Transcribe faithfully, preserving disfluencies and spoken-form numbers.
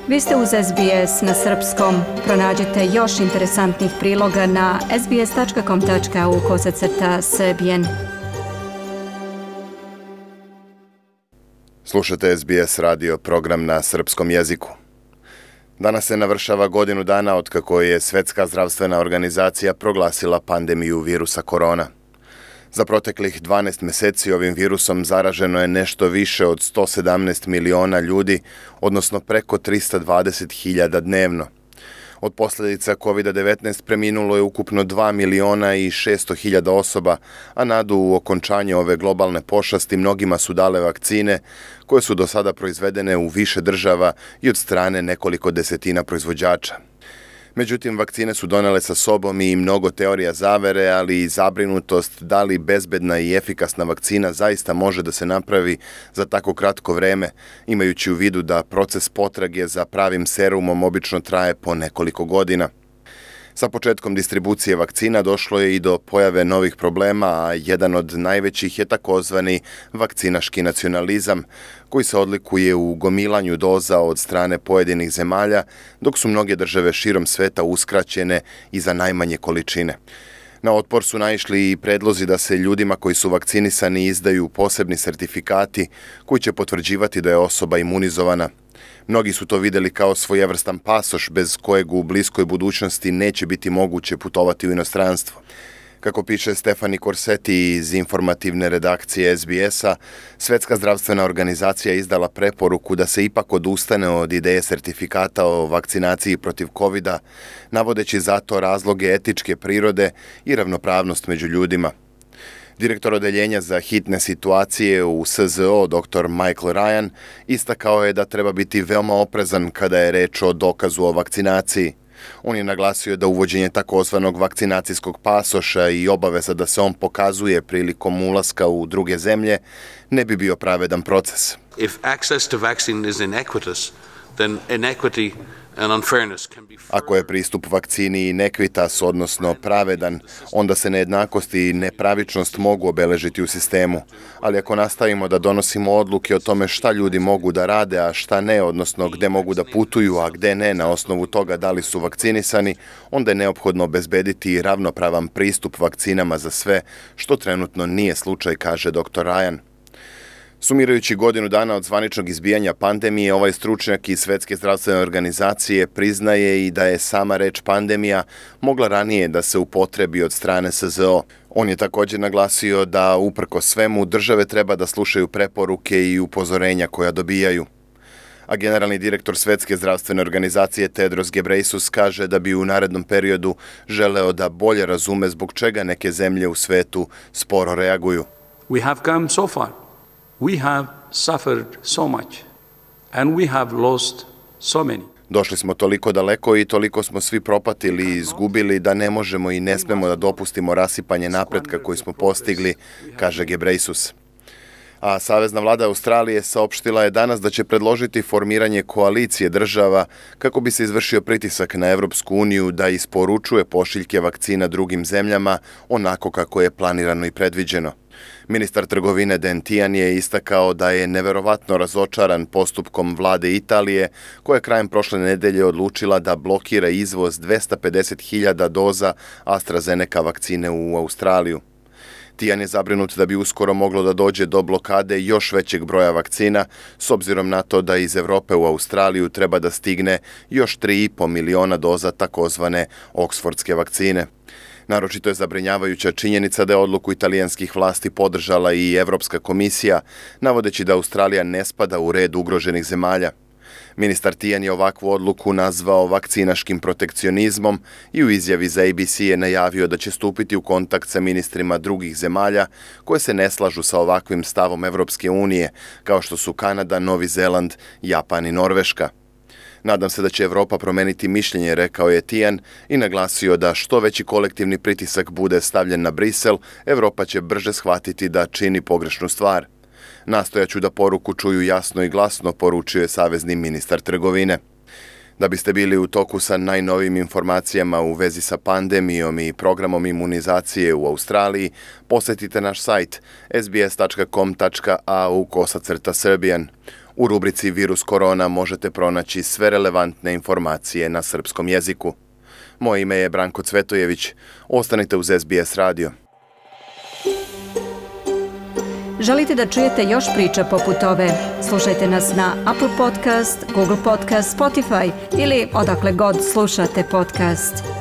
Vi ste uz S B S na srpskom. Pronađite još interesantnih priloga na sbs.com.au kosacrta srbijen. Slušate S B S radio program na srpskom jeziku. Danas se navršava godinu dana otkako je Svetska zdravstvena organizacija proglasila pandemiju virusa korona. Za proteklih dvanaest meseci ovim virusom zaraženo je nešto više od sto sedamnaest miliona ljudi, odnosno preko trista dvadeset hiljada dnevno. Od posljedica kovid devetnaest preminulo je ukupno dva miliona i šesto hiljada osoba, a nadu u okončanje ove globalne pošasti mnogima su dale vakcine koje su do sada proizvedene u više država i od strane nekoliko desetina proizvođača. Međutim, vakcine su donele sa sobom i mnogo teorija zavere, ali i zabrinutost da li bezbedna i efikasna vakcina zaista može da se napravi za tako kratko vreme, imajući u vidu da proces potrage za pravim serumom obično traje po nekoliko godina. Sa početkom distribucije vakcina došlo je i do pojave novih problema, a jedan od najvećih je takozvani vakcinaški nacionalizam, koji se odlikuje u gomilanju doza od strane pojedinih zemalja, dok su mnoge države širom sveta uskraćene i za najmanje količine. Na otpor su naišli i predlozi da se ljudima koji su vakcinisani izdaju posebni sertifikati koji će potvrđivati da je osoba imunizovana. Mnogi su to videli kao svojevrstan pasoš bez kojeg u bliskoj budućnosti neće biti moguće putovati u inostranstvo. Kako piše Stefani Corsetti iz informativne redakcije S B S-a, Svetska zdravstvena organizacija izdala preporuku da se ipak odustane od ideje sertifikata o vakcinaciji protiv kovida, navodeći zato razloge etičke prirode i ravnopravnost među ljudima. Direktor odeljenja za hitne situacije u S Z O, dr Michael Ryan, istakao je da treba biti veoma oprezan kada je reč o dokazu o vakcinaciji. On je naglasio da uvođenje takozvanog vakcinacijskog pasoša i obaveza da se on pokazuje prilikom ulaska u druge zemlje ne bi bio pravedan proces. If access to vaccine is inequitous, then inequity and unfairness can be... Ako je pristup vakcini nekvitas, odnosno pravedan, onda se nejednakost i nepravičnost mogu obeležiti u sistemu. Ali ako nastavimo da donosimo odluke o tome šta ljudi mogu da rade, a šta ne, odnosno gde mogu da putuju, a gde ne, na osnovu toga da li su vakcinisani, onda je neophodno obezbediti ravnopravan pristup vakcinama za sve, što trenutno nije slučaj, kaže dr Ryan. Sumirajući godinu dana od zvaničnog izbijanja pandemije, ovaj stručnjak iz Svetske zdravstvene organizacije priznaje i da je sama reč pandemija mogla ranije da se upotrebi od strane S Z O. On je također naglasio da uprko svemu države treba da slušaju preporuke i upozorenja koja dobijaju. A generalni direktor Svetske zdravstvene organizacije Tedros Ghebreyesus kaže da bi u narednom periodu želeo da bolje razume zbog čega neke zemlje u svetu sporo reaguju. We have come so far. We have suffered so much and we have lost so many. Došli smo toliko daleko i toliko smo svi propatili i izgubili da ne možemo i ne smemo da dopustimo rasipanje napretka koji smo postigli, kaže Ghebreyesus. A Savezna vlada Australije saopštila je danas da će predložiti formiranje koalicije država kako bi se izvršio pritisak na Evropsku uniju da isporučuje pošiljke vakcina drugim zemljama onako kako je planirano i predviđeno. Ministar trgovine Dan Tehan je istakao da je neverovatno razočaran postupkom vlade Italije, koja je krajem prošle nedelje odlučila da blokira izvoz dvesta pedeset hiljada doza AstraZeneca vakcine u Australiju. Tehan je zabrinut da bi uskoro moglo da dođe do blokade još većeg broja vakcina, s obzirom na to da iz Evrope u Australiju treba da stigne još tri i po miliona doza takozvane oksfordske vakcine. Naročito je zabrinjavajuća činjenica da je odluku italijanskih vlasti podržala i Evropska komisija, navodeći da Australija ne spada u red ugroženih zemalja. Ministar Tehan je ovakvu odluku nazvao vakcinaškim protekcionizmom i u izjavi za A B C je najavio da će stupiti u kontakt sa ministrima drugih zemalja koje se ne slažu sa ovakvim stavom Evropske unije, kao što su Kanada, Novi Zeland, Japan i Norveška. Nadam se da će Evropa promeniti mišljenje, rekao je Tehan i naglasio da što veći kolektivni pritisak bude stavljen na Brisel, Evropa će brže shvatiti da čini pogrešnu stvar. Nastojaću da poruku čuju jasno i glasno, poručio je savezni ministar trgovine. Da biste bili u toku sa najnovijim informacijama u vezi sa pandemijom i programom imunizacije u Australiji, posjetite naš sajt s b s tačka com tačka a u kosacrta srbijan. U rubrici Virus korona možete pronaći sve relevantne informacije na srpskom jeziku. Moje ime je Branko Cvetojević. Ostanite uz S B S radio. Želite da čujete još priča poput ove? Slušajte nas na Apple Podcast, Google Podcast, Spotify ili odakle god slušate podcast.